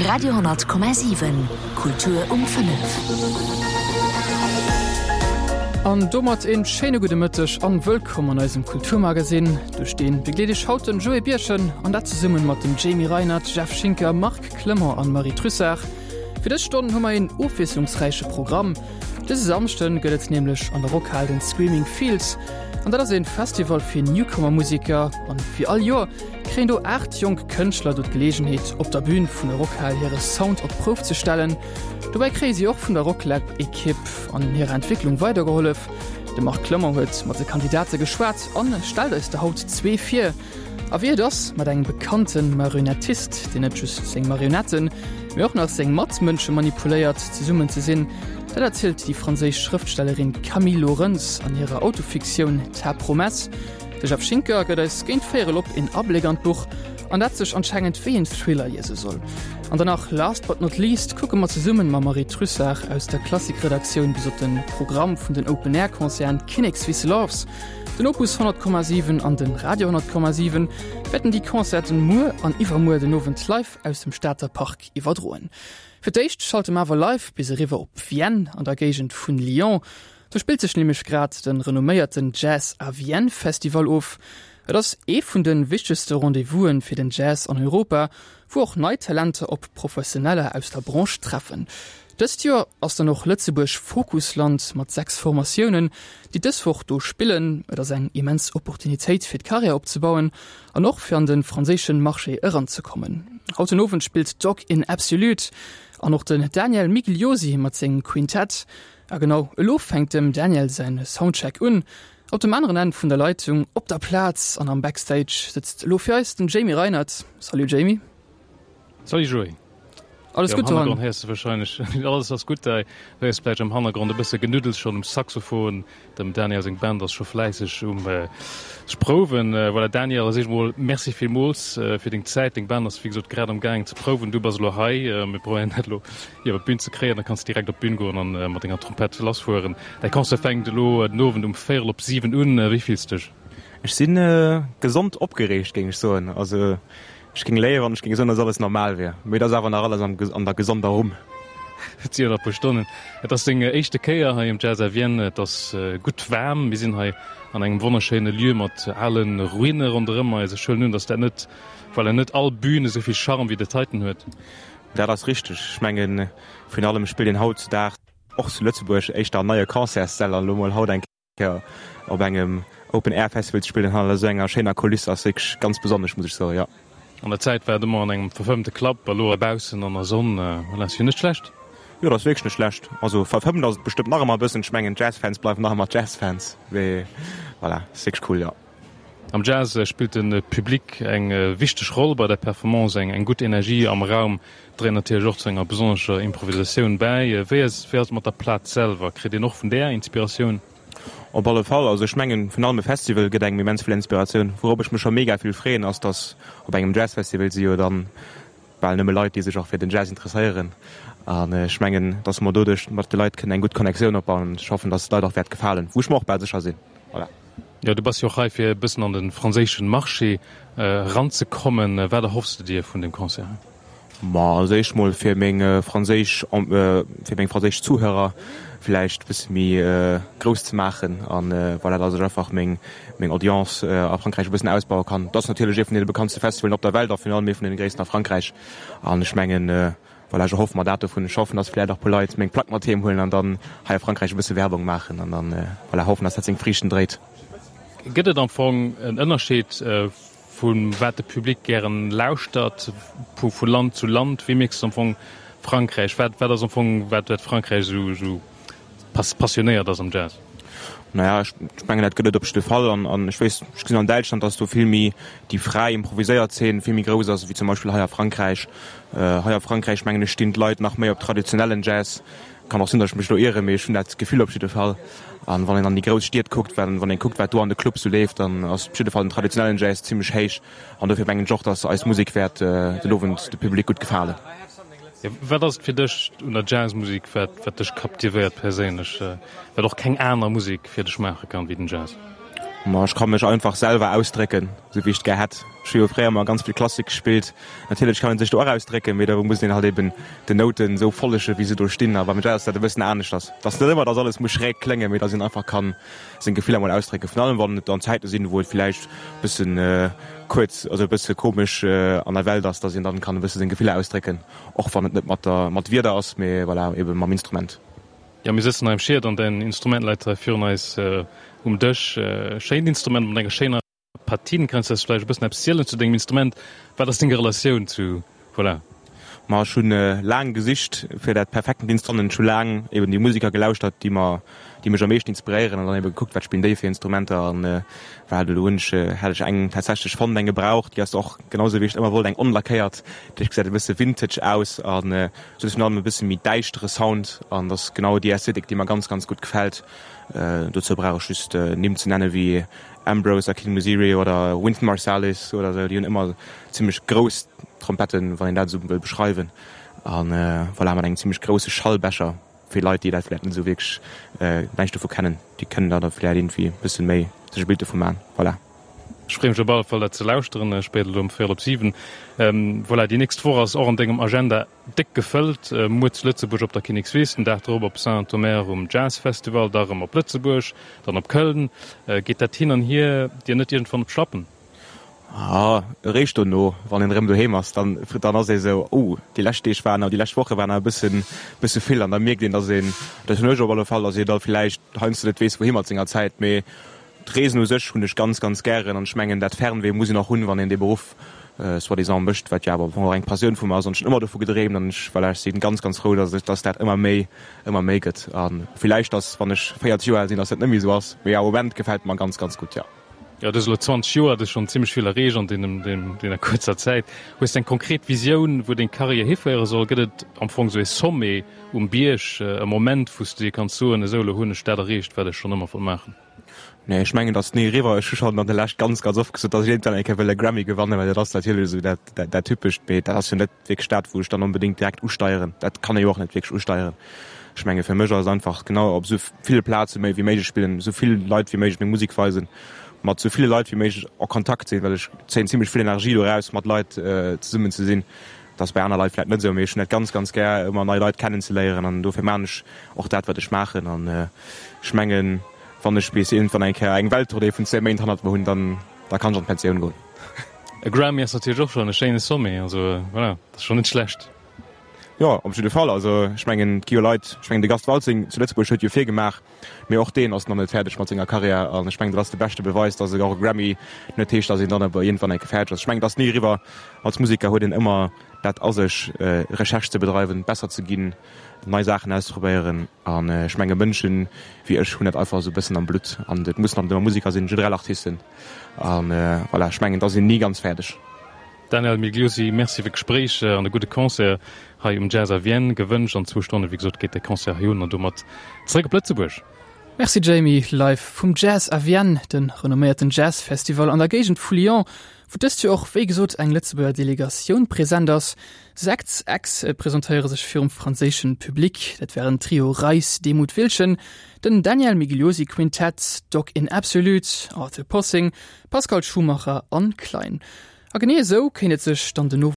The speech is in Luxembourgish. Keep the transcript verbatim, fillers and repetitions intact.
Radio honnert Komma siwen, Kultur um fënnef. An domat een schéine gudde Mëtteg an wëllkomm an eisem Kulturmagazin. Duerch deen begleet iech haut den Joé Birchen an dat zesummen mat dem Jamie Reinert, Jeff Schinker, Marc Clement an Marie Trussart. Fir dës Stonn hu mer een ofwiesslungsräiche Programm. Dëse Samschden gëtt et nämlech an der Rockhal den Screaming Fields. An dat ass een Festival fir Newcomer-Museker an wéi all Joer kréien do aacht jonk Kënschtler do d'Geleegenheet op der Bühn vun der Rockhal hire Sound op d'Prouf ze stellen. Dobäi kréie si och vun der Rocklab-Ekipp an hirer Entwécklung weidergehollef. De Marc Clement huet mat de Kandidate geschwat an stellt eis der haut zwee vir. A wéi et ass, mat engem bekannte Marionettist, deen net just seng Marionetten, mee och nach seng Matmënsche manipuléiert, zesummen ze sinn, dat erzielt déi franséisch Schrëftstellerin Camille Laurens an hirer Autofiktioun Ta promesse. De Jeff Schinker gëtt eis géint véierel op een Abléck an d'Buch, an dat sech anscheinend wéi en Thriller liese soll. An danach, last but not least, kucke mer zesummen mam Marie Trussart aus der Klassik-Redaktioun bis op den Programm vun den Open-Air-Concerten Kinnekswiss Loves. Den Opus honnert Komma siwen an den Radio honnert Komma siwen wäerten déi Concerten muer an iwwermuer den Owend live aus dem Stater Park iwwerdroen. Fir d'éischt schalte mer awer live bis eriwwer op Vienne an der Géigend vun Lyon. Do spillt sech nämlech grad de renomméierten Jazz à Vienne Festival of. Et ass ee vun de wichtegste Rendez-vous'en fir den Jazz an Europa, wou och nei Talenter op Professioneller aus der Branche treffen. Dëst Joer ass dann och Lëtzebuerg Fokusland mat sechs Formatiounen, déi dës Woch do spillen. Et ass eng immens Opportunitéit fir d'Karriär opzebauen an och fir an de franséische Marché eranzekommen. Haut den Owend spillt Dog in Absolute an och den Daniel Migliosi mat sengem Quintett. A genau elo fänkt dem Daniel säin Soundcheck un. Op dem aneren Enn vun der Leitung, op der Plaz an am Backstage sëtzt elo fir eis den Jamie Reinert. Salut Jamie. Salut Joé. Alles Ja, gutt am doran? Hannergrond héiers de wahrscheinlech, alles ass gutt, hei héiers vläicht am Hannergrond e bësse Genuddels schonn um Saxophon. Dem Daniel seng Band ass scho fläisseg um sech prouwen. Voilà Daniel, als éischt mol Merci villmools fir deng Zäit. Deng Band ass wéi gesot grad am gaangen ze prouwen. Du bass elo hei. Mir probéieren dat elo iwwer d'Bün ze kréien. Da kanns de direkt op d'Bün goen an mat denger Trompett lassfueren. Däi Concert fänkt elo den Owend um véierel op siwen un. Wéi fills de dech? Ech sinn gesond opgereegt, géing ech soen. Also ech géing léieren, wann ech géing soen, dass alles normal wier. Mee et ass awer nach alles am, an der gesonder Rumm. Et si jo nach e puer Stonnen. Et ass deng éischte Kéier hei um Jazz à Vienne. Et ass gutt waarm. Mir sinn hei an engem wonnerschéine Lieu mat ale Ruine ronderëm eis. Ech huelen un, dass dat net, voilà, net all Bühn esou vill Charme wéi dat heiten huet. Dat ass richteg. Ech mengen, virun allem spillt een hautzudaags och zu Lëtzebuerg éischter an neie Concertssäll an elo mol haut eng Kéier op engem Open Air Festival ze spillen hanner esou enger schéiner Kuliss ass wierklech ganz besonnesch, muss ech soen, jo. An der Zäit war et ëmmer an engem verfëmmte Club, elo baussen an der Sonn, voilà, ass jo net schlecht. Jo, dat ass wierklech net schlecht. Also verfëmmt ass et bestëmmt nach ëmmer e bëssen. Ech mengen, Jazzfans bleiwen nach ëmmer Jazzfans, mee voilà, ass wierklech cool, jo. Am Jazz spillt de Public eng wichteg Roll bei der Performance. Eng gutt Energie am Raum dréit natierlech och zu enger besonnescher Improvisatioun bäi. Wéi ass et mat der Plaz selwer? Kritt een och vun där Inspiratioun? Op alle Fall. Also ech mengen, virun allem e Festival gëtt engem immens vill Inspiratioun. Wourop ech mech scho mega vill freeën, ass dass op engem Jazzfestival si jo dann bal nëmme Leit, déi sech och fir den Jazz interesséieren. An ech mengen, dass mer doduerch mat de Leit kënnen eng gutt Connectioun opbauen. Ech hoffen, dass et d'Leit och wäert gefalen, wou ech mer och bal sécher sinn. Voilà. Jo, du bass jo och hei fir e bëssen an de franséischen Marché eranzekommen. Wat erhoffs de dir vun deem Concert? Ma als éischt mol fir meng franséisch, fir meng franséisch Zuhörer vläicht e bësse méi grouss ze maachen an voilà, dass ech einfach meng meng Audience a Frankräich e bëssen ausbaue kann. Et ass natierlech ee vun deene bekanntste Festivalen op der Welt a virun allem ee vun deene gréissten a Frankräich an ech mengen, voilà, ech erhoffe mer dat dovun. Ech hoffen, dass vläicht och e puer Leit meng Plack mat heem huelen an dann hei a Frankräich e bësse Werbung maachen an dann, voilà, hoffen, dass dat seng Friichten dréit. Gëtt et am Fong en Ënnerscheed vu wat de Public gären lauschtert, vu Land zu Land? Wéi mierks de am Fong Frankräich? Wat wat ass am Fong wat wat Frankräich esou esou passionéiert ass am Jazz? Naja, ech mengen dat gëtt et op jidde Fall an an ech weess, ech gesinn an Däitschland, datt do vill méi déi fräi improviséiert Zeen vill méi grouss ass ewéi zum Beispill hei a Frankräich. Hei a Frankräich mengen ech stinn d'Leit nach méi op traditionellen Jazz. Kann och sinn, datt ech mech do ieren, mee ech hunn dat Gefill op jidde Fall. An wann een an déi grouss Stied kuckt, wann een kuckt, wat do an de Clubs sou leeft, dann ass op jidde Fall den traditionellen Jazz zimmlech héich. An dofir mengen ech och, datt eis Musek wäert den Owend de Public gutt gefalen. Wat ass et fir dech un der Jazzmusek, wat wat dech captivéiert perséinlech, wat och keng aner Musek fir dech maache kann wéi den Jazz? Ma ech ka mech einfach selwer ausdrécken, sou wéi ech et gär hätt. Ech hu jo fréier ëmmer ganz vill Klassik gespillt. Natierlech kann ee sech do och ausdrécken, mee do muss een halt eben den Nouten esou follege wéi se do stinn. A beim Jazz ass dat e bëssen aneschters. Et ass net ëmmer, dass alles muss schräg kléngen, mee dass een einfach kann seng Gefiller mol ausdrécken. Virun allem wann et an Zäite sinn, wou et villäicht e bëssen kuerz, also e bësse komesch an der Welt ass, dass een dann kann e bësse seng Gefiller ausdrécken, och wann et net mat der mat Wierder ass, mee voilà, eben mam Instrument. Jo, mir sëtzen hei am Schied an däin Instrument läit hei virun eis um Dësch. Schéint Instrument mat enger schéiner Patine. Kanns du eis vläicht e bëssen eppes zielen zu dengem Instrument? Wat ass deng Relatioun zu, voilà. Ma ech hunn laang gesicht fir dat perfektent Instrument. Ech hu laang eben déi Musiker gelauschtert, déi mer, déi mech am meeschten inspiréieren an dann ebe gekuckt, wat spillen déi fir Instrumenter an voilà, do hunn ech, hat ech eng tatsächlech fonnt, eng gebraucht, déi ass och genau sou wéi ech et ëmmer wollt, eng onlackéiert, déi gesäit e bësse vintage aus an sou virun allem e bësse méi däischtere Sound an dat ass genau déi Ästhetik, déi mer ganz, ganz gutt gefält. Dozou brauch ech just Nimm ze nenne wéi Ambrose Akinmusire oder Wynton Marsalis oder sou, déi hunn ëmmer zimmlech grouss Trompetten, wann een dat esou wëll beschreiwen. An voilà, mat engem zimmlech grousse Schallbecher, fir Leit, déi dat vläicht net esou wierklech näischt dovu kennen, déi kënnen da da vläicht iergendwéi e bësse méi sech e Bild dovu maachen. Voilà. Ech freeë mech op alle Fall dat ze lauschteren, spéider elo um véierel op siwen. Voilà, déi nächst Woch ass och an dengem Agenda déck gefëllt. Muer zu Lëtzebuerg op der Kinnekswiss, den Dag drop op Saint-Omer um Jazzfestival, da rëm op Lëtzebuerg, dann op Köln. Geet dat hin an hier dir net iergendwann op d'Schlappen? Ah, eréischt dono, wann een erëm doheem ass, dann, dann ass ee sou, oh, déi lescht Deeg waren, déi lescht Woche waren awer e bëssen, bësse vill. An da mierkt een, dass een, dat hunn ech op alle Fall, dass ee da villäicht heiansdo net weess, wouhi mat senger Zäit. Mee D'Reesen u sech hunn ech ganz, ganz gären an ech mengen, dat Fernweh muss een och hunn, wann een dee Beruff soi-disant mécht, wat jo awer am Fong och eng Passioun vu mer ass an ech hunn ëmmer dovu gedreemt an ech, voilà, ech si ganz, ganz frou, dass ech, dass dat ëmmer méi, ëmmer méi gëtt a villäicht, dass wann ech véierzeg Joer al sinn, dass dat net méi esou ass, mee am Moment gefält et mer ganz, ganz gutt, jo. Jo, du hues elo zwanzeg Joer, du hues schonn zimmlech vill erreecht an deenen, deener kuerzer Zäit. Hues de eng konkret Visioun, wou deng Karriär hiféiere soll? Gëtt et am Fong esou ee Sommet um Bierg, e Moment, wou s du dir kanns soen, esou elo hunn ech dat erreecht, wat ech schonn ëmmer wollt maachen? Nee, ech mengen, dat ass ni eriwwer. Ech hu schonn an der Lescht ganz, ganz oft gesot, datt ech iergendwann eng Kéier wëll e Grammy gewannen, well dat ass natierlech esou dat, dat, dat Typescht. Mee dat ass jo net wierklech dat, wou ech dann onbedéngt direkt usteieren. Dat kann ee jo och net wierklech usteieren. Ech menge fir mech ass et einfach genau op esou ville Plaze méi wéi méiglech spillen, esou vill Leit wéi méiglech meng Musek weisen, mat esou ville Leit wéi méiglech a Kontakt sinn, well ech zéien zimlech vill Energie do eraus, mat Leit zesummen ze sinn. Dat ass bei aner Leit vläicht net esou, mee ech hunn dat ganz, ganz gär, ëmmer nei Leit kennenzeléieren an dofir maachen ech och dat, wat ech maachen. An ech mengen, wann ech bis iergendwann eng Kéier eng Welttournée vun zwee Méint hannert mer hunn, dann da kann ech an d'Pensioun goen. E Grammy ass natierlech och schonn e schéine Sommet, also voilà, dat ass schonn net schlecht. Jo, op jidde Fall. Also ech mengen, et gi jo Leit, ech mengen de Gast Waltzing zu Lëtzebuerg huet jo virgemaach, mee och deen ass nach net fäerdeg mat senger Karriär an ech mengen, dat ass de beschte Beweis, datt och e Grammy net heescht, datt een dann awer iergendwann eng Kéier fäerdeg ass. Ech mengen, et ass ni eriwwer. Als Museker huet een ëmmer dat a sech, Recherche ze bedreiwen, besser ze ginn, nei Saachen auszeprobéieren an ech menge Mënschen wéi ech hunn dat einfach esou e bëssen am Blutt an et mussen net ëmmer Museker sinn, generell Artisten an voilà, ech mengen, da sinn ni ganz fäerdeg. Daniel Migliosi, Merci fir d'Gespréich an e gudde Concert hei um Jazz à Vienne gewënscht. An zwou Stonne wéi gesot geet de Concert hei un an domat zeréck op Lëtzebuerg. Merci Jamie. Live vum Jazz à Vienne, de renomméierten Jazzfestival an der Géigend vu Lyon, wou dëst Joer och wéi gesot eng Lëtzebuerger Delegatioun present ass. Sechs Acts presentéiere sech virum franséischen Public, dat wären Trio Reis, Demuth, Wiltgen, den Daniel Migliosi Quintett, Dog in Absolute, Arthur Possing, Pascal Schumacher an Klein. A genee esou kéint et sech dann den Owend